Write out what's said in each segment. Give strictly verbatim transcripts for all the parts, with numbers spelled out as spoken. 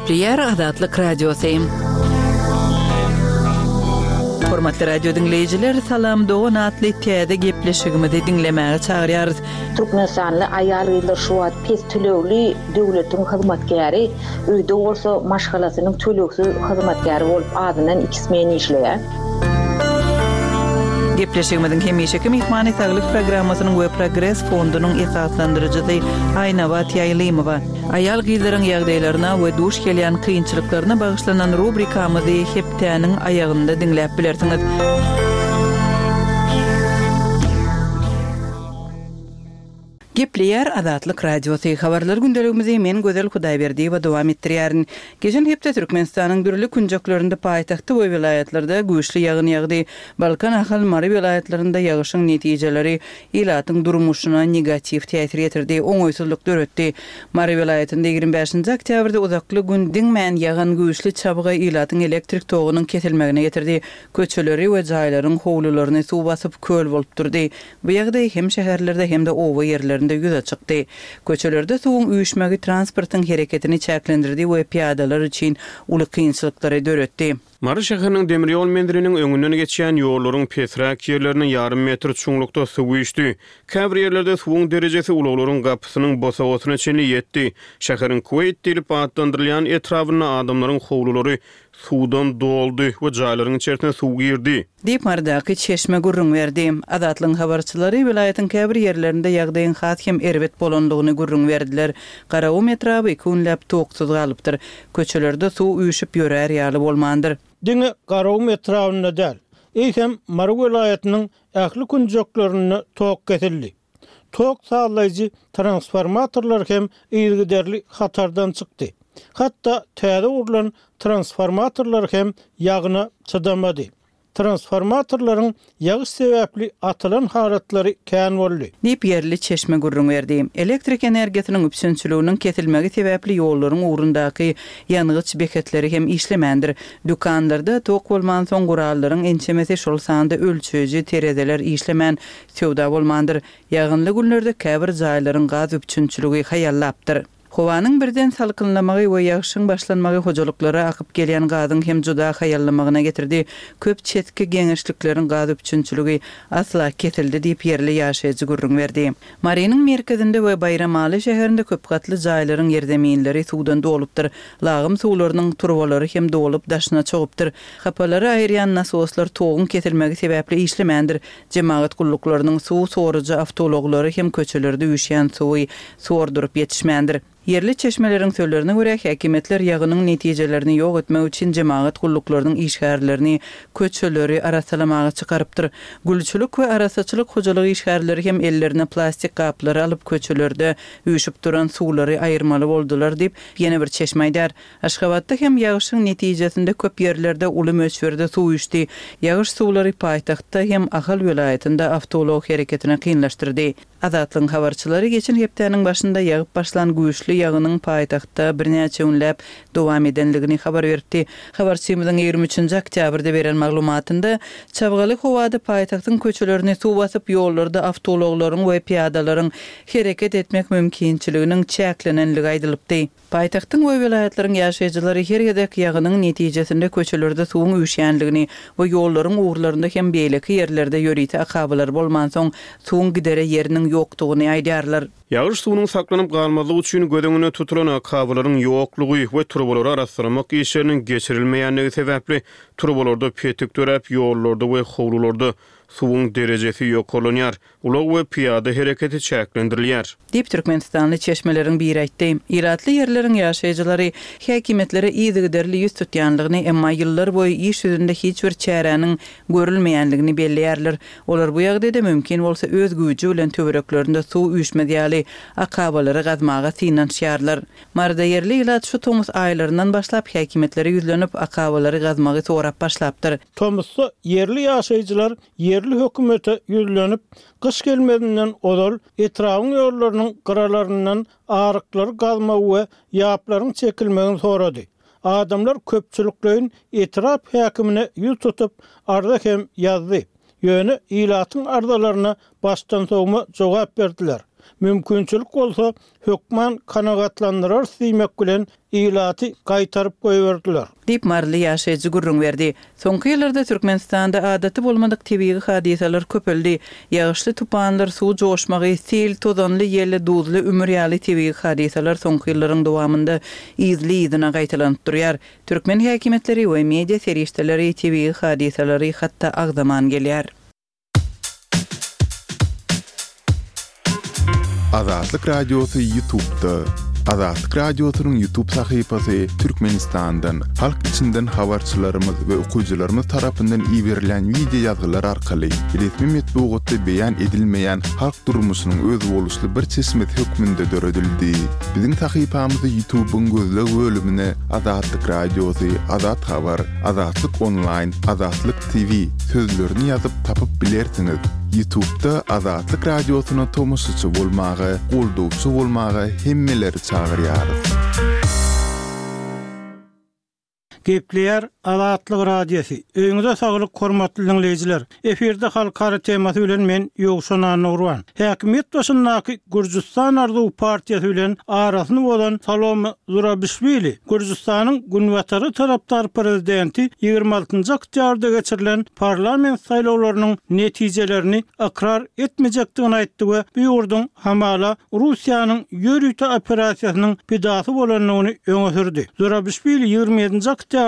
Gepleýär Azatlyk Radiosy. Hormatly radio diňleýjiler, Salam dogan atly täze gepleşigimizi diňlemäge çagyrýarys. Türkmenistanly aýal-gyzlar şu wagt pes tölegli döwletiň hyzmatkäri, öýde bolsa maşgalasynyň tölegsiz hyzmatkäri bolup azyndan iki smen işleýär. Gepleşigimiziň hemişeki myhmany Saglyk programmasynyň we Progres fondunyň esaslandyryjysy Aýnabat Ýaýlymowa. Aýal-gyzlaryň ýagdaýlaryna we duş gelýän kynçylyklaryna bagyşlanan rubrikamyzy hepdäniň aýagynda diňläp bilersiňiz. Gepleýär Azatlyk Radiosy. Habarlar gündeligimizi men Gözel Hudaýberdiýewa dowam etdirýärin. Geçen hepde Türkmenistanyň dürli künjeklerinde paýtagtda we welaýatlarda güýçli ýagyn ýagdy. Balkan, Ahal, Mary welaýatlarynda ýagyşyň netijeleri ilatyň durmuşyna negatiw täsir ýetirdi, oňaýsyzlyk döretdi. Mary welaýatynda ýigrimi bäşinji oktýabrda uzakly gün diňmän ýagan güýçli çabga ilatyň elektrik togunyň kesilmegine getirdi. Köçeleri we jaýlaryň howlularyny suw basyp, köl bolup durdy. Bu ýagdaý hem şäherlerde hem-de oba ýerlerinde ýüze çykdy. Köçelerde suwuň üýşmegi transportyň hereketini çäklendirdi we pyýadalar üçin uly kynçylyklary döretdi. Mary şäheriniň demir ýol menziliniň öňünden geçýän ýollaryň pesräk ýerlerine ýarym metr çuňlukda suw üýşdi. Käbir ýerlerde suwuň derejesi ulaglaryň gapysynyň bosagasyna çenli ýetdi. Şäheriň Kuweýt diýlip atlandyrylýan etrabynda adamlaryň howlulary suwdan doldy we jaýlaryň içerisine suw girdi. Diýip, Marydaky çeşme gürrüň berdi. Azatlygyň habarçylary welaýatyň käbir ýerlerinde ýagdaýyň has hem erbet bolandygyny gürrüň berdiler. Garagum etraby iki günläp toksuz galypdyr. Köçelerde suw üýşüp ýörär ýaly bolmandyr. Diňe Garagum etrabynda däl, eýsem Mary welaýatynyň ähli künjeklerinde tok kesildi. Tok sazlaýjy transformatorlar hem yzygiderli hatardan çykdy. Hatda täze gurlan transformatorlar hem ýagyna çydamady. Transformatorlaryň ýagyş sebäpli atylan halatlary kän boldy. Diýip, ýerli çeşme gürrüň berdi. Elektrik energiýasynyň üpjünçiliginiň kesilmegi sebäpli ýollaryň ugrundaky ýangyç beketleri hem işlemändir. Dükanlarda tok bolmansoň, gurallaryň ençemesi, şol sanda ölçeýji tereziler işlemän, söwda bolmandyr. Ýagynly günlerde käbir jaýlaryň gaz üpjünçiligi haýallapdyr. Howanyň birden salkynlamagy we ýagyşyň başlanmagy hojalyklara akyp gelýän gazyň hem juda haýallamagyna getirdi. Köp çetki geňeşlikleriň gaz üpjünçiligi asla kesildi diýip, ýerli ýaşaýjy gürrüň berdi. Marynyň merkezinde we Baýramaly şäherinde köp gatly jaýlaryň ýerzeminleri suwdan dolupdyr. Lagym suwlarynyň turbalary hem dolup, daşyna çogupdyr. Hapalary aýyrýan nasoslar toguň kesilmegi sebäpli işlemändir. Jemagat gulluklarynyň suw sorujy awtoulaglary hem köçelerde üýşýän suwy sorduryp ýetişmändir. Ýerli çeşmeleriň sözlerine görä, häkimiýetler ýagynyň netijelerini ýok etmek üçin jemagat gulluklarynyň işgärlerini köçeleri arassalamaga çykarypdyr. Gülçülik we arassaçylyk hojalyk işgärleri hem ellerine plastik gaplary alyp köçelerde üýşüp duran suwlary aýyrmaly boldular diýip, ýene bir çeşme aýdýar. Aşgabatda hem ýagyşyň netijesinde köp ýerlerde uly möçberde suw üýşdi. Ýagyş suwlary paýtagtda hem Ahal welaýatynda awtoulag hereketini kynlaşdyrdy. Azatlygyň habarçylary geçen hepdäniň başynda ýagyp başlan güýçli ýagynyň paýtagtda birnäçe günläp dowam edenligini habar beripdi. Habarçymyzyň ýigrimi üçünji oktýabrda beren maglumatynda, çabgaly howada paýtagtyň köçelerini suw basyp, ýollarda awtoulaglaryň we pyýadalaryň hereket etmek mümkinçiliginiň çäklenenligi aýdylypdy. Paýtagtyň we welaýatlaryň ýaşaýjylary her gezek ýagynyň netijesinde köçelerde suwuň üýşýänligini we ýollaryň ugurlarynda hem beýleki ýerlerde ýörite akabalar bolmansoň, suwuň gidere ýeriniň ýokdugyny aýdýarlar. Ýagyş suwunyň saklanyp galmazlygy üçin göz öňünde tutulan akabalaryň ýoklugy we turbalary arassalamak işleriniň geçirilmeýänligi sebäpli turbalarda petik döräp, ýollarda we howlularda suwuň derejesi ýokarlanýar. Ulag we pyýada hereketi çäklendirilýär. Diýip, türkmenistanly çeşmeleriň biri aýtdy. Ilatly ýerleriň ýaşaýjylary häkimiýetlere yzygiderli ýüz tutýanlygyny, emma ýyllar boýy iş ýüzünde hiç bir çäräniň görülmeýänligini belleýärler. Olar bu ýagdaýda mümkin bolsa öz güýji bilen töwereklerinde suw üýşmez ýaly akabalary gazmaga synanyşýarlar. Maryda ýerli ilat şu tomus aýlaryndan başlap häkimiýetlere ýüzlenip, akabalary gazmagy sorap başlapdyr. Tomusda ýerli ýaşaýjylar ýerli hökümete ýüzlenip, gyş gelmezinden ozal etrabyň ýollarynyň gyralaryndan aryklary gazmagy we ýaplaryň çekilmegini sorady. Adamlar köpçülikleýin etrap häkimine ýüz tutup, arza hem ýazdy. Ýöne ilatyň arzalaryna başdansowma jogap berdiler. Mümkinçilik bolsa, hökman kanagatlandyrarys diýmek bilen, ilaty gaýtaryp goýberdiler. Diýip, maryly ýaşaýjy gürrüň berdi. Soňky ýyllarda Türkmenistanda adaty bolmadyk tebigy hadysalar köpeldi. Ýagyşly tupanlar, suw joşmagy, sil, tozanly ýel, duzly ümür ýaly tebigy hadysalar soňky ýyllaryň dowamynda yzly-yzyna gaýtalanyp durýar. Türkmen häkimiýetleri we media serişdeleri tebigy hadysalary hatda agzaman gelýär. Azatlyk Radiosy Ýutubda. Azatlyk Radiosynyň Ýutub sahypasy Türkmenistandan, halk içinden habarçylarymyz we okyjylarymyz tarapyndan iberilen wideo ýazgylar arkaly resmi metbugatda beýan edilmeýän halk durmuşynyň özboluşly bir çeşmesi hökmünde döredildi. Biziň sahypamyzy Ýutubyň gözleg bölümine Azatlyk Radiosy, Azat Habar, Azatlyk Onlaýn, Azatlyk T V sözlerini ýazyp tapyp bilersiňiz. Ýutubda Azatlyk Radiosyna tomaşaçy bolmaga, goldawçy bolmaga hemmeleri çagyrýarys. Gepleýär Azatlyk Radiosy. Öýüňize saglyk hormatly dinleýjiler. Efirde halkara temasy bilen men Ýowşan Annagurban. Häkimiýet başyndaky Gürjüstan Arzuw partiýasy bilen arasyny bozan Salome Zurabişwili, Gürjüstanyň günbatary tarapdar prezidenti ýigrimi altynjy oktýabrda geçirilen parlament saýlawlarynyň netijelerini ykrar etmejekdigini aýtdy we bu ýurduň hamala Russiýanyň ýörite operasiýasynyň pidasy bolandygyny öňe sürdi. Zurabişwili ýigrimi ýedinji oktýabrda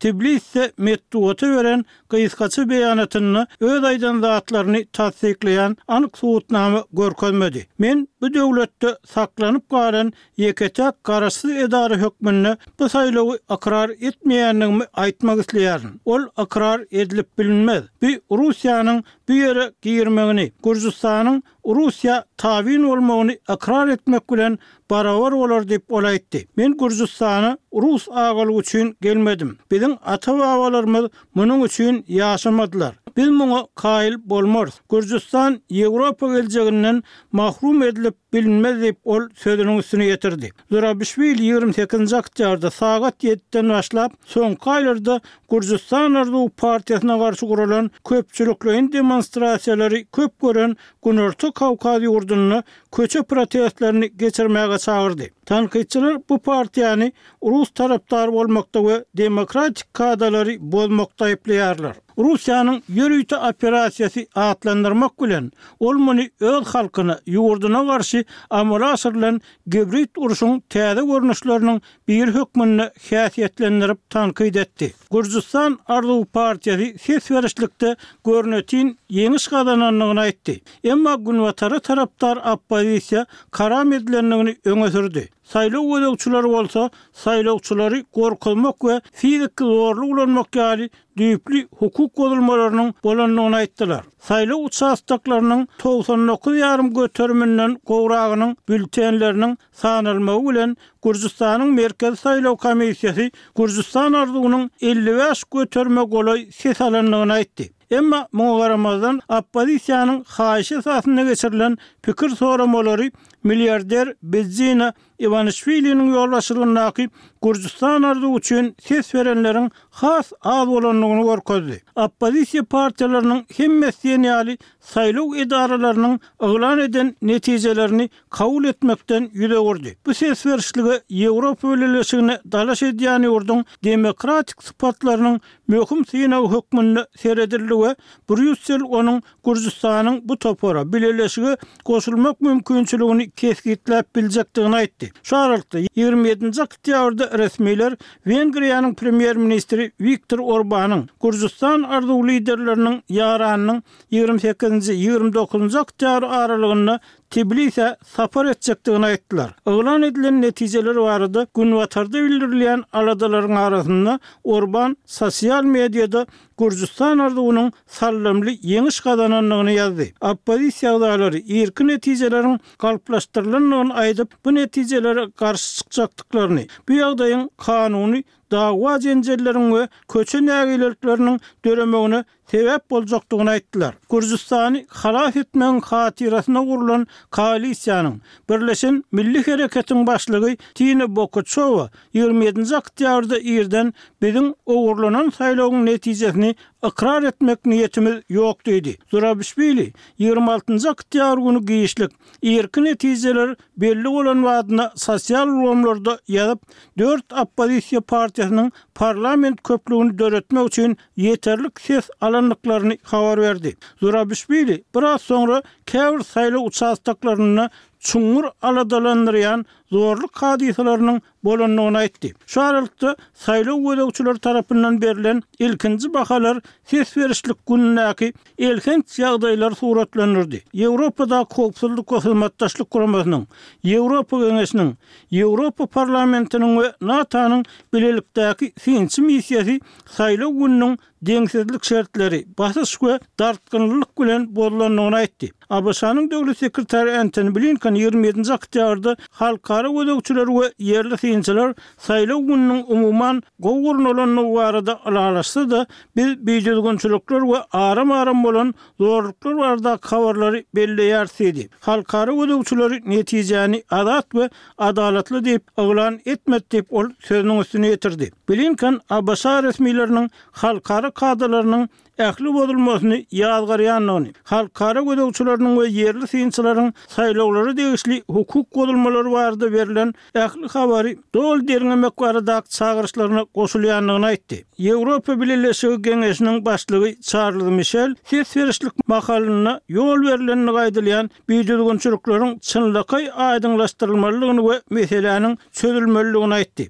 Tbiliside metbugata beren gysgaça beýanatynda öz aýdan zatlaryny tassyklaýan anyk subutnama görkezmedi. Men bu döwletde saklanyp galan ýeke-täk garaşsyz edara hökmünde bu saýlawy ykrar etmeýändigimi aýtmak isleýärin. Ol ykrar edilip bilinmez. Bu Russiýanyň bu ýere girmegini, Gürjüstanyň Russiýa tabyn bolmagyny ykrar etmek bilen barabar bolar diýip ol aýtdy. Men Gürjüstana Rus agalygy üçin gelmedim. Biziň ata-babalarymyz munuň üçin ýaşamadylar. Biz muňa kaýyl bolmarys. Gürjüstan Ýewropa geljeginden mahrum edilip bilinmez diýip ol sözüniň üstüne ýetirdi. Zurabişwili ýigrimi sekizinji oktýabrda sagat ýediden başlap soňky aýlarda Gürjüstan Arzuw partiýasyna garşy guralan köpçülikleýin demonstrasiýalary köp gören Günorta Kawkaz ýurdunda köçe protestlerini geçirmäge çagyrdy. Tankytçylar bu partiýany Rus tarapdary bolmakda we demokratik kadalary bozmakda aýyplaýarlar. Russiýanyň ýörite operasiýasy atlandyrmak bilen ol muny öz halkyna, ýurduna garşy amala aşyrylan gibrid urşuň täze görnüşleriniň biri hökmünde häsiýetlendirip tankyt etdi. Gürjüstan Arzuw partiýasy ses berişlikde görnetin ýeňiş gazanandygyny aýtdy. Emma günbatara tarapdar oppozisiýa karam edilendigini öňe sürdi. Saýlaw gözegçileri bolsa saýlawçylary gorkuzmak we fiziki zorluk ulanmak ýaly düýpli hukuk bozulmalarynyň bolandygyny aýtdylar. Saýlaw uçastoklarynyň togsan dokuz ýarym göteriminden gowragynyň bültenleriniň sanalmagy bilen Gürjüstanyň Merkezi Saýlaw Komissiýasy Gürjüstan Arzuwynyň elli bäş göterime golaý ses alandygyny aýtdy. Emma muňa garamazdan oppozisiýanyň haýyşy esasynda geçirilen pikir soramalary milliarder Bidzina Iwanişwiliniň ýolbaşçylygyndaky Gürjüstan Arzuwy üçin ses berenleriň has az bolandygyny görkezdi. Oppozisiýa partiýalarynyň hemmesi diýen ýaly saýlaw edaralarynyň yglan eden netijelerini kabul etmekden ýüz öwürdi. Bu ses berişlige Ýewropa Bileleşigine dalaş edýän ýurduň demokratik sypatlarynyň möhüm synagy hökmünde seredildi we Brýussel onuň Gürjüstanyň bu topara bileleşige goşulmak mümkinçiligini kesgitläp biljekdigini aýtdy. Şu aralykda ýigrimi ýedinji oktýabrda resmiler Wengriýanyň premýer-ministri Wiktor Orbanyň Gürjüstan Arzuw liderleriniň ýaranynyň ýigrimi sekizinji ýigrimi dokuzynjy oktýabr aralygynda Tbilisä sapar etjekdigini aýtdylar. Yglan edilen netijeler barada günbatarda bildirilýän aladalaryň arasynda Orban sosial mediada Gürjüstan Arzuwynyň sallamly ýeňiş gazanandygyny ýazdy. Oppozisiýa agzalary irki netijeleriň galplaşdyrylandygyny aýdyp, bu netijelere garşy çykjakdyklaryny, bu ýagdaýyň kanuny dawa jenjelleriň we köçe nägilelikleriniň döremegine sebäp boljakdygyny aýtdylar. Gürjüstany halas etmegiň hatyrasyna gurlan koalisiýanyň Birleşen Milli Hereketiň başlygy Tina Bokuçowa ýigrimi ýedinji oktýabrda irden biziň ogurlanan saýlawyň netijesini ykrar etmek niýetimiz ýok diýdi. Zurabişwili ýigrimi altynjy oktýabr güni giçlik, irki netijeler belli bolan badyna sosial ulgamlarda ýazyp, dört oppozisiýa partiýasynyň parlament köplügini döretmek üçin ýeterlik ses alandyklaryny habar berdi. Zurabişwili biraz soňra käbir saýlaw uçastoklarynda çuňňur aladalandyrýan zorluk hadysalarynyň bolandygyny aýtdy. Şu aralykda, saýlaw gözegçileri tarapyndan berlen ilkinji bahalar ses berişlik günündäki elhenç ýagdaýlary suratlandyrdy. Ýewropadaky Howpsuzlyk we Hyzmatdaşlyk Guramasynyň, Ýewropa Geňeşiniň, Ýewropa Parlamentiniň we NATO-nyň bilelikdäki synçy missiýasy saýlaw gününiň deňsizlik şertleri, basyş we dartgynlylyk bilen bozulandygyny aýtdy. ABŞ-nyň döwlet sekretary Entoni Blinken ýigrimi ýedinji oktýabrda halkara gözegçileri we ýerli synçylar saýlaw gününiň umuman gowy gurnalandygy barada ylalaşsa-da, biz bidüzgünçilikler we aram-aram bolan zorluklar baradaky habarlary belleýäris diýdi. Halkara gözegçileri netijäni azat we adalatly diýip yglan etmedi diýip, ol sözüniň üstüni ýetirdi. Blinken ABŞ resmileriniň halkara kadalarynyň ähli bozulmasyny ýazgarýandygyny, halkara gözegçileriniň we ýerli synçylaryň saýlawlara degişli hukuk bozulmalary barada berlen ähli habary doly derňemek baradaky çagyryşlaryna goşulýandygyny aýtdy. Ýewropa Bileleşigi Geňeşiniň başlygy Çarlz Mişel ses berişlik mahalynda ýol berlendigi aýdylýan bidüzgünçilikleriň çynlakaý aýdyňlaşdyrylmalydygyny we meseläniň çözülmelidigini aýtdy.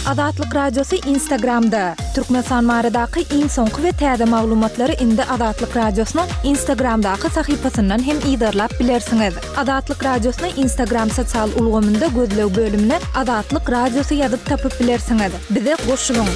Azatlyk Radiosy Instagramda, Türkmenistan baradaky iň soňky we täze maglumatlary indi Azatlyk Radiosynyň Instagramdaky sahypasyndan hem yzarlap bilersiňiz. Azatlyk Radiosyny Instagram sosial ulgamynda gözleg bölümine Azatlyk Radiosy ýazyp tapyp bilersiňiz. Bize goşulyň!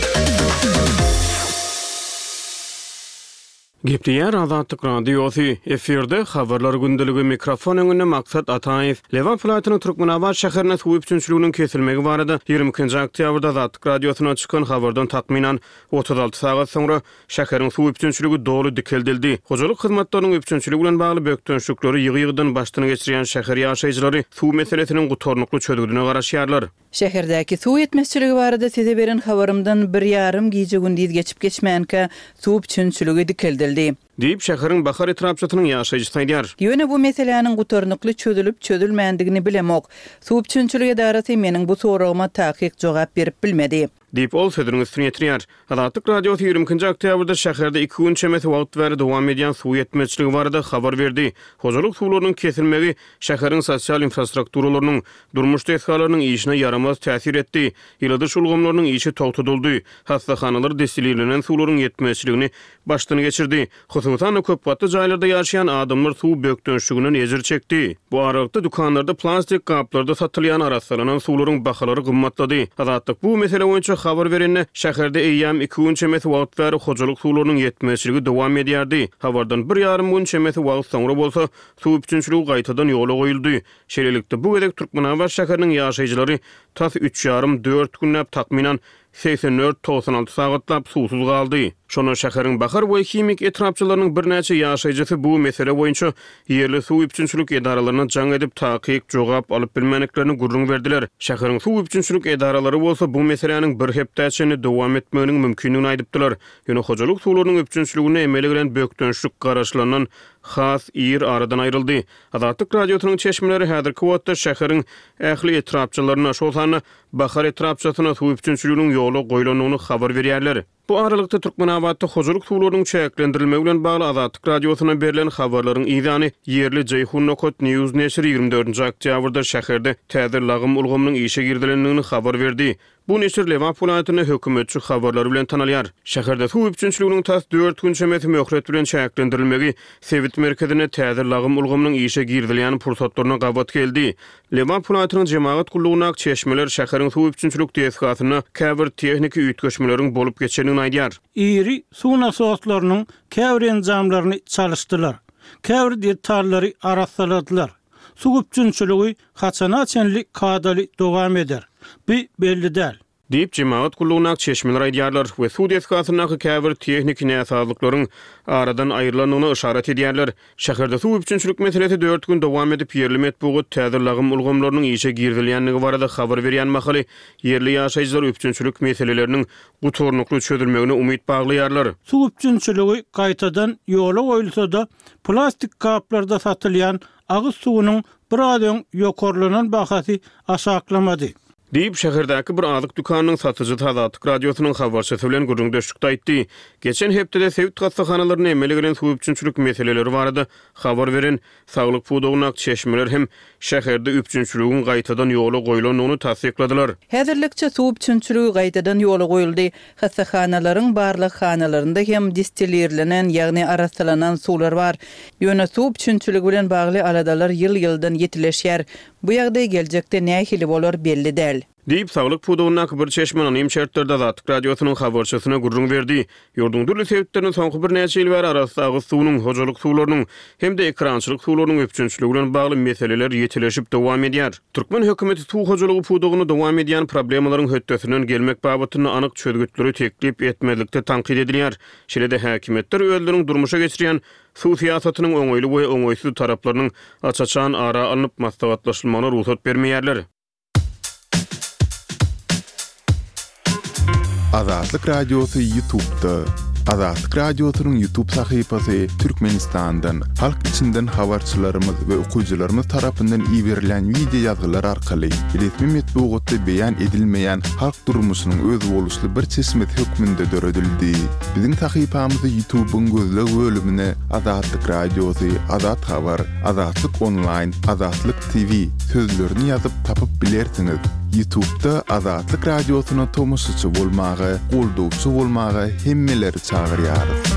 Gepleýär Azatlyk Radiosy, efirde Habarlar gündeligi, mikrofon öňünde Maksat Ataýew. Lebap welaýatynyň Türkmenabat şäherinde suw üpjünçiliginiň kesilmegi barada ýigrimi ikinji oktýabrda Azatlyk Radiosyna çykan habardan takmynan otuz alty sagat soňra şäheriň suw üpjünçiligi doly dikeldildi. Hojalyk hyzmatlarynyň üpjünçiligi bilen bagly bökdençlikleri ýygy-ýygydan başdan geçirýän şäher ýaşaýjylary suw meselesiniň gutarnykly çözgüdine garaşýarlar. Şäherdäki suw ýetmezçiligi barada size beren habarymdan bir ýarym gije-gündiz geçip-geçmänkä, suw üpjünçiligi dikeldildi. Diýip, şäheriň Bahar etrapçasynyň ýaşaýjysy aýdýar. Ýöne bu meseläniň gutarnykly çözülip-çözülmändigini bilemok. Suw üpjünçilik edarasy meniň bu soragyma takyk jogap berip bilmedi. Diýip, ol sözüniň üstüni ýetirýär. Azatlyk Radiosy ýigrimi ikinji oktýabrda şäherde iki gün çemesi wagt bäri dowam edýän suw ýetmezçiligi barada habar berdi. Hojalyk suwlarynyň kesilmegi şäheriň sosial infrastrukturalarynyň, durmuş desgalarynyň işine ýaramaz täsir etdi. Ýyladyş ulgamlarynyň işi togtadyldy. Hassahanalar destilirlenen suwlaryň ýetmezçiligini başdan geçirdi. Hususan-da, köp gatly jaýlarda ýaşaýan adamlar suw bökdençliginden ejir çekdi. Bu aralykda, dükanlarda plastik gaplarda satylýan arassalanan suwlaryň bahalary gymmatlady. Azatlyk bu mesele boýunça habar berende, şäherde eýýäm iki gün çemesi wagt bäri hojalyk suwlarynyň ýetmezçiligi dowam edýärdi. Habardan bir ýarym gün çemesi wagt soňra bolsa, suw üpjünçiligi gaýtadan ýola goýuldy. Şeýlelikde, bu gezek Türkmenabat şäheriniň ýaşaýjylary tas üç ýarym, dört günläp, takmynan segsen dört, togsan alty sagatlap suwsuz galdy. Şonda şäheriň Bahar we Himik etrapçalarynyň birnäçe ýaşaýjysy bu mesele boýunça ýerli suw üpjünçilik edaralaryna jaň edip, takyk jogap alyp bilmändiklerini gürrüň berdiler. Şäheriň suw üpjünçilik edaralary bolsa bu meseläniň bir hepdä çenli dowam etmeginiň mümkindigini aýdypdylar. Ýöne hojalyk suwlarynyň üpjünçiliginde emele gelen bökdençlik garaşylandan has ir aradan aýryldy. Azatlyk Radiosynyň çeşmeleri häzirki wagtda şäheriň ähli etrapçalarynda, şol sanda Bahar etrapçasynda suw üpjünçiliginiň ýola goýlandygyny habar berýärler. Bu aralykda, Türkmenabatda hojalyk suwlarynyň çäklendirilmegi bilen bagly Azatlyk Radiosyna berlen habarlaryň yzýany ýerli Jeýhun nokat news neşiri ýigrimi dördünji oktýabrda şäherde täze lagym ulgamynyň işe girizilendigini habar berdi. Bu neşir Lebap welaýatynda hökümetçi habarlary bilen tanalýar. Şäherde suw üpjünçiliginiň tas dört gün çemesi möhlet bilen çäklendirilmegi sebit merkezinde täze lagym ulgamynyň işe girizilýän pursatlaryna gabat geldi. Lebap welaýatynyň jemagat gullugyndaky çeşmeler şäheriň suw üpjünçilik desgasynda käbir tehniki üýtgeşmeleriň bolup geçendigini aýdýar. Iri suw nasoslarynyň käbir enjamlaryny çalyşdylar, käbir detallary arassaladylar. Suw üpjünçiligi haçana çenli kadaly dowam eder? Bu belli däl. Diýip, jemagat gullugyndaky çeşmeler aýdýarlar we suw desgasyndaky käbir tehniki näsazlyklaryň aradan aýrylandygyna yşarat edýärler. Şäherde suw üpjünçilik meselesi dört gün dowam edip, ýerli metbugat täze lagym ulgamlarynyň işe girizilýändigi barada habar berýän mahaly, ýerli ýaşaýjylar üpjünçilik meseleleriniň gutarnykly çözülmegine umyt baglaýarlar. Suw üpjünçiligi gaýtadan ýola goýulsa-da, plastik gaplarda satylýan agyz suwunyň biraz öň ýokarlanan bahasy aşaklamady. Diýip, şäherdäki bir azyk dükanynyň satyjysy Azatlyk Radiosynyň habarçysy bilen gürrüňdeşlikde aýtdy. Geçen hepdede sebit hassahanalarynda emele gelen suw üpjünçilik meseleleri barada habar beren saglyk pudagyndaky çeşmeler hem şäherde üpjünçiligiň gaýtadan ýola goýlandygyny tassykladylar. Häzirlikçe suw üpjünçiligi gaýtadan ýola goýuldy. Hassahanalaryň barlaghanalarynda hem distilirlenen, ýagny arassalanan suwlar bar. Ýöne suw üpjünçiligi bilen bagly aladalar ýyl-ýyldan ýitileşýär. Bu ýagdaý geljekde nähili bolar belli däl. Diýip, saglyk pudagyndaky bir çeşme anonim şertlerde Azatlyk Radiosynyň habarçysyna gürrüň berdi. Ýurduň dürli sebitlerinde soňky birnäçe ýyl bäri arassa agyz suwunyň, hojalyk suwlarynyň hem-de ekerançylyk suwlarynyň üpjünçiligi bilen bagly meseleler ýitileşip dowam edýär. Türkmen hökümeti suw hojalygy pudagynda dowam edýän problemalaryň hötdesinden gelmek babatynda anyk çözgütleri teklip etmezlikde tankyt edilýär. Şeýle-de häkimiýetler özleriniň durmuşa geçirýän suw syýasatynyň oňaýly we oňaýsyz taraplarynyň aç-açan ara alnyp maslahatlaşylmagyna rugsat bermeýärler. Azatlyk Radiosy YouTube'da. Azatlyk Radiosynyň YouTube sahypasy Türkmenistandan, halk içinden habarçylarymyz we okyjylarymyz tarapyndan iberilen wideo ýazgylar arkaly resmi metbugatda beýan edilmeýän halk durmuşynyň özboluşly bir çeşmesi hökmünde döredildi. Biziň sahypamyzy YouTube'yň gözleg bölümine Azatlyk Radiosy, Azat Habar, Azatlyk Onlaýn, Azatlyk T V sözlerini ýazyp tapyp bilersiňiz. YouTube'da Azatlyk Radiosyna tomaşaçy bolmaga, goldawçy bolmaga hemmeleri çagyrýarys.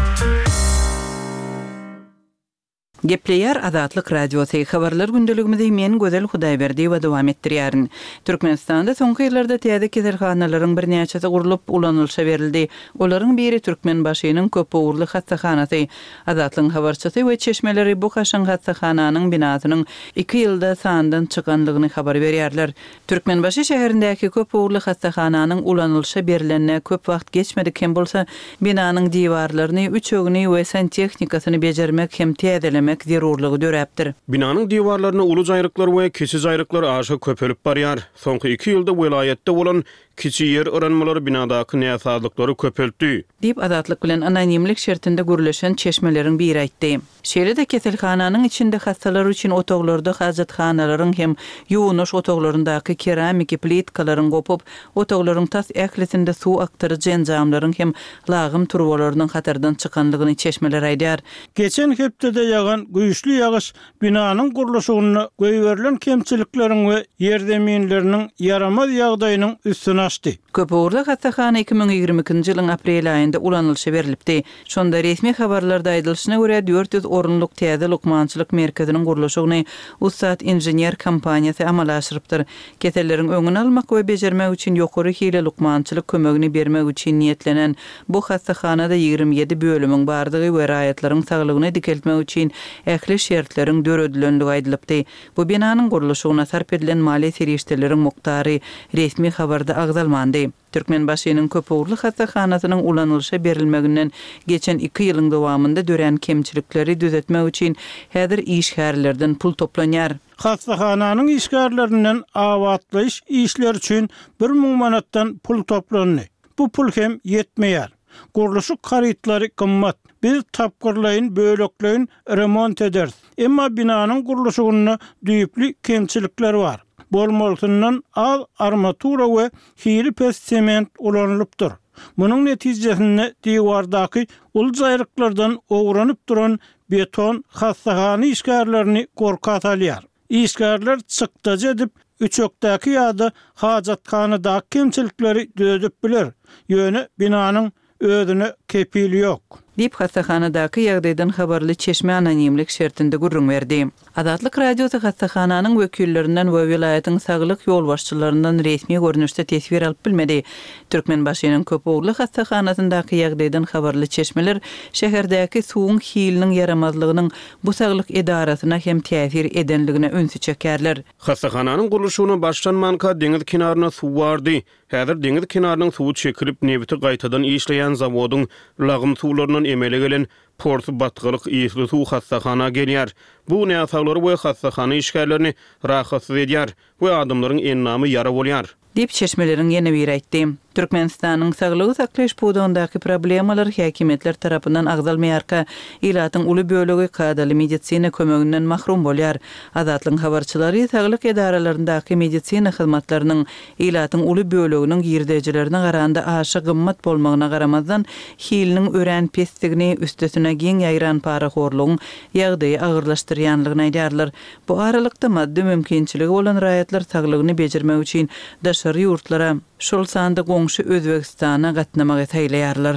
Gepleýär Azatlyk Radiosy. Habarlar gündeligimizi men Gözel Hudaýberdiýewa dowam etdirýärin. Türkmenistanda soňky ýyllarda täze keselhanalaryň birnäçesi gurlup ulanylyşa berildi. Olaryň biri Türkmenbaşynyň köpugurly hassahanasy. Azatlygyň habarçysy we çeşmeleri bu kaşaň hassahananyň binasynyň iki ýylda sandan çykanlygyny habar berýärler. Türkmenbaşy şäherindäki köpugurly hassahananyň ulanylyşa berilenine köp wagt geçmedik hem bolsa, binanyň diwarlaryny, üçegini we santexnikasyny bejermek hem täzelemek zerurlygy döräpdir. Binanyň diwarlaryna uly jaýryklar we kiçi jaýryklar aşa köpelip barýar. Soňky iki ýylda welaýatda bolan kiçi ýer yranmalary binadaky näsazlyklary köpeltdi. Diýip Azatlyk bilen anonimlik şertinde gürleşen çeşmeleriň biri aýtdy. Şeýle-de keselhananyň içinde hassalar üçin otaglarda hajathanalaryň hem ýuwunyş otaglaryndaky keramiki plitkalaryň gopup, otaglaryň tas ählisinde suw akdyryjy enjamlaryň hem lagym turbalarynyň hatardan çykanlygyny çeşmeler aýdar. Geçen hepdede ýagan güýçli ýagyş binanyň gurluşygyna goýberilen kemçilikleriň we ýerzeminleriniň ýaramaz ýagdaýynyň üstüni açdy. Köpugurly hassahana iki müň ýigrimi ikinji ýylyň aprel aýynda ulanylyşa berilipdi. Şonda resmi habarlarda aýdylyşyna görä dört ýüz orunlyk täze lukmançylyk merkeziniň gurluşygyny Ussat inžener kompaniýasy amala aşyrypdyr. Keselleriň öňüni almak we bejermek üçin ýokary hili lukmançylyk kömegini bermek üçin niýetlenen bu hassahanada ýigrimi ýedi bölümiň bardygy we raýatlaryň saglygyny dikeltmek üçin ähli şertleriň döredilenligi aýdylypdy. Bu binanyň gurluşygyna sarp edilen maliýe serişdeleriň mukdary resmi habarda agzalmandy. Türkmenbaşynyň köpugurly hassahanasynyň ulanylyşa berilmeginden geçen iki ýylyň dowamynda dörän kemçilikleri düzetmek üçin häzir işgärlerden pul toplanýar. Hassahananyň işgärlerinden abatlaýyş işleri üçin bir müň manatdan pul toplandy. Bu pul hem ýetmeýär. Gurluşyk harytlary gymmat. Biz tapgyrlaýyn, bölekleýin remont ederis. Emma binanyň gurluşygynda düýpli kemçilikler bar. Bolmalysyndan az armatura we hili pes sement ulanylypdyr. Munuň netijesinde diwardaky uly jaýryklardan owranyp duran beton hassahana işgärlerini gorka salýar. Işgärler çykdajy edip, üçekdäki ýa-da hajathanadaky kemçilikleri düzedip biler. Ýöne binanyň özüne kepili ýok. Diýip, hassahanadaky ýagdaýdan habarly çeşme anonimlik şertinde gürrüň berdi. Azatlyk Radiosy hassahananyň wekillerinden we welaýatyň saglyk ýolbaşçylaryndan resmi görnüşde teswir alyp bilmedi. Türkmenbaşynyň köpugurly hassahanasyndaky ýagdaýdan habarly çeşmeler şäherdäki suwuň hiliniň ýaramazlygynyň bu saglyk edarasyna hem täsir edenligine ünsi çekýärler. Hassahananyň gurluşygyna başlanmanka deňiz kenarynda suw bardy. Häzir deňiz kenarynyň suwy çekilip, nebiti gaýtadan işleýän zawodyň lagym suwlaryndan emele gelen porsy batgalyk ysly suw hassahana gelýär. Bu näsaglary we hassahana işgärlerini rahatsyz edýär we adamlaryň endamy ýara bolýar. Diýip, çeşmeleriň ýene biri aýtdy. Türkmenistanyň saglygy saklaýyş pudagyndaky problemalar häkimiýetler tarapyndan agzalmaýarka, ilatyň uly bölegi kadaly medisina kömeginden mahrum bolýar. Azatlygyň habarçylary saglyk edaralaryndaky medisina hyzmatlarynyň ilatyň uly böleginiň girdejilerine garanda aşa gymmat bolmagyna garamazdan, hiliniň örän pesdigini, üstesine giň ýaýran parahorlugyň ýagdaýy agyrlaşdyrýanlygyny aýdýarlar. Bu aralykda, maddy mümkinçiligi bolan raýatlar saglygyny bejermek üçin daşary ýurtlara, şol sanda goňşy Özbegistana gatnamagy saýlaýarlar.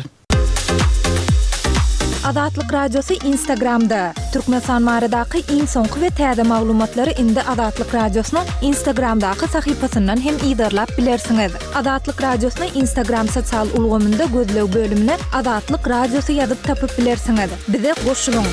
Azatlyk Radiosy Instagramda, Türkmenistan baradaky iň soňky we täze maglumatlary indi Azatlyk Radiosynyň Instagramdaky sahypasyndan hem yzarlap bilersiňiz. Azatlyk Radiosyny Instagram sosial ulgamynda gözleg bölümine Azatlyk Radiosy ýazyp tapyp bilersiňiz. Bize goşulyň!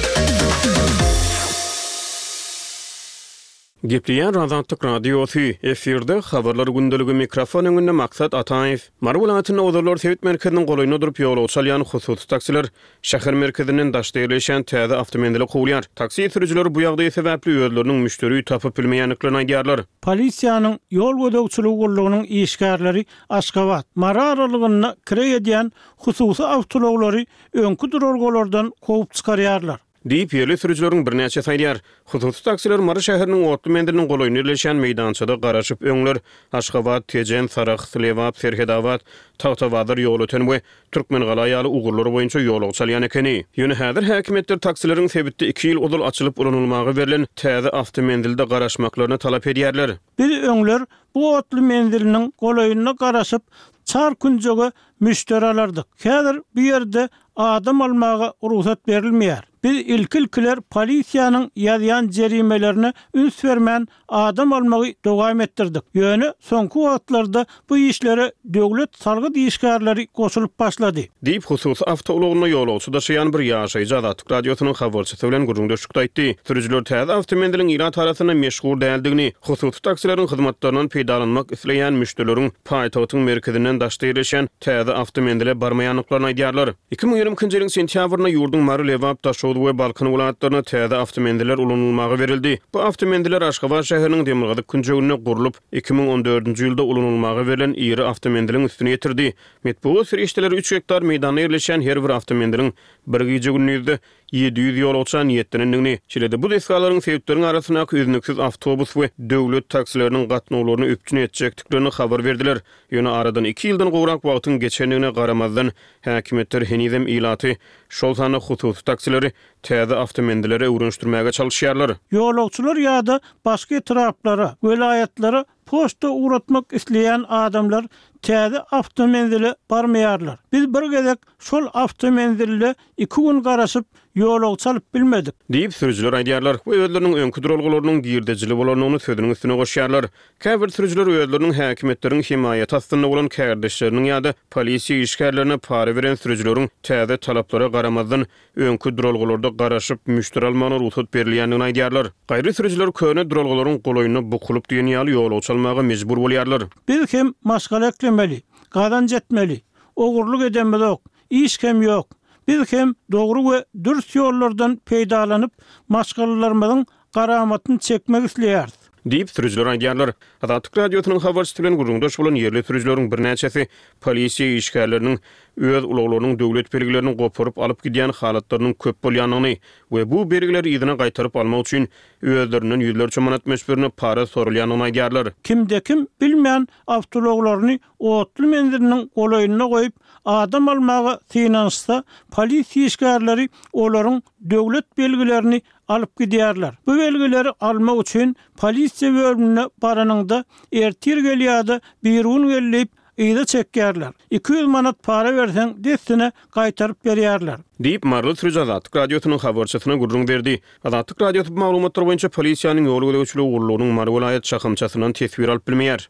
Gepleýär Azatlyk Radiosy, efirde Habarlar gündeligi, mikrofon öňünde Maksat Ataýew. Mary welaýatynda ozallar sebit merkeziniň golaýynda durup ýolagçy alýan hususy taksiler şäher merkezinden daşda ýerleşýän täze awtomenzile kowulýar. Taksi sürüjileri bu ýagdaý sebäpli özleriniň müşderi tapyp bilmeýändiklerini aýdýarlar. Polisiýanyň ýol gözegçiligi gullugynyň işgärleri Aşgabat, Mary aralygynda kireý edýän hususy awtoulaglary öňki duralgalardan kowup çykarýarlar. Diýip, ýerli sürüjileriň birnäçesi aýdýar. Hususy taksiler Mary şäheriniň otly menziliniň golaýynda ýerleşýän meýdançada garaşyp, öňler Aşgabat, Tejen, Sarahs, Lebap, Serhetabat, Tagtabazar, Ýolöten we Türkmengala ýaly ugurlar boýunça ýolagçy alýan ekeni. Ýöne häzir häkimiýetler taksileriň sebitde iki ýyl ozal açylyp ulanylmaga berlen täze awtomenzilde garaşmaklaryny talap edýärler. Biz öňler bu otly menziliniň golaýynda garaşyp, çar künjege müşderi alardyk. Häzir bu ýerde adam almaga rugsat berilmeýär. Biz ilki-ilkiler polisiýanyň ýazýan jerimelerine üns bermän adam almagy dowam etdirdik. Ýöne soňky wagtlarda bu işlere döwlet salgyt işgärleri goşulyp başlady. Diýip, hususy awtoulagynda ýolagçy daşaýan bir ýaşaýjy Azatlyk Radiosynyň habarçysy bilen gürrüňdeşlikde aýtdy. Sürüjiler täze awtomenziliň ilat arasynda meşhur däldigini, hususy taksileriň hyzmatlaryndan peýdalanmak isleýän müşderileriň paýtagtyň merkezinden daşda ýerleşýän täze awtomenzile barmaýandyklaryny aýdýarlar. Iki müň ýigrimi ikinji ýylyň sentýabrynda ýurduň Mary, Lebap, Daşoguz we Balkan welaýatlarynda täze awtomenziller ulanylmaga berildi. Bu awtomenziller Aşgabat şäheriniň demirgazyk künjeginde gurlup, iki müň on dördünji ýylda ulanylmaga berlen iri awtomenziliň üstüni ýetirdi. Metbugat serişdeleri üç gektar meýdanda ýerleşýän her bir awtomenziliň bir gije-gündizde ýedi ýüz ýolagça niýetlenendigini, şeýle-de bu desgalaryň sebitleriň arasyndaky üznüksiz awtobus we döwlet taksileriniň gatnawlaryny üpjün etjekdiklerini habar berdiler. Ýöne aradan iki ýyldan gowrak wagtyň geçendigine garamazdan, häkimiýetler henizem ilaty, şol sanda hususy taksileri täze awtomenzillere öwrenişdirmäge çalyşýarlar. Ýolagçylar ýa-da başga etraplara, welaýatlara poçta ugratmak isleýän adamlar täze awtomenzile barmaýarlar. Biz bir gezek şol awtomenzilde iki gün garaşyp, ýolagçy alyp bilmedik. Diýip, sürüjiler aýdýarlar we özleriniň öňki duralgalarynyň girdejili bolandygyny sözüniň üstüne goşýarlar. Käbir sürüjiler özleriniň häkimiýetleriň hemaýaty astynda bolan kärdeşleriniň ýa-da polisiýa işgärlerine para beren sürüjileriň täze talaplara garamazdan, öňki duralgalarda garaşyp, müşderi almagyna rugsat berilýändigini aýdýarlar. Gaýry sürüjiler köne duralgalaryň golaýynda bukulyp diýen ýaly ýolagçy almaga mejbur bolýarlar. Biz hem maşgala eklemeli, gazanç etmeli. Ogurlyk edemizok, iş hem ýok. Biz hem dogry we dürs ýollardan peýdalanyp, maşgalalarymyzyň garamatyny çekmek isleýäris. Diýip, sürüjiler aýdýarlar. Azatlyk Radiosynyň habarçysy bilen gürrüňdeş bolan ýerli sürüjileriň birnäçesi polisiýa işgärleriniň öz ulaglarynyň döwlet belgilerini goparyp alyp gidýän halatlarynyň köp bolýandygyny we bu belgileri yzyna gaýtaryp almak üçin özlerinden ýüzlerçe manat möçberinde para soralýandygyny aýdýarlar. Kimde-kim bilmän awtoulaglaryny otly menziliniň golaýynda goýup, adam almaga synanyşsa, polisiýa işgärleri olaryň döwlet belgilerini alyp gidýärler. Bu belgileri almak üçin polisiýa bölümine baranyňda, ertir gel ýa-da birigün gel diýip, yza çekýärler. Iki ýüz manat para berseň, dessine gaýtaryp berýärler. Diýip, maryly sürüji Azatlyk Radiosynyň habarçysyna gürrüň berdi. Azatlyk Radiosy bu maglumatlar boýunça polisiýanyň ýol gözegçiligi gullugynyň Mary welaýat şahamçasyndan teswir alyp bilmeýär.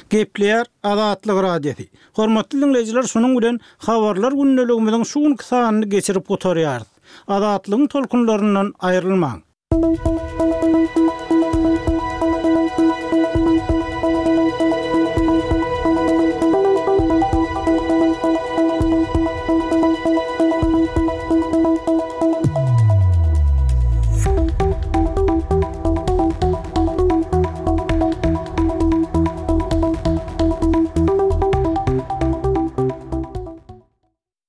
Gepleýär Azatlyk Radiosy. Hormatly diňleýjiler, şunuň bilen Habarlar gündeligimiziň şu günki sanyny geçirip gutarýarys. Azatlygyň tolkunlaryndan aýrylmaň.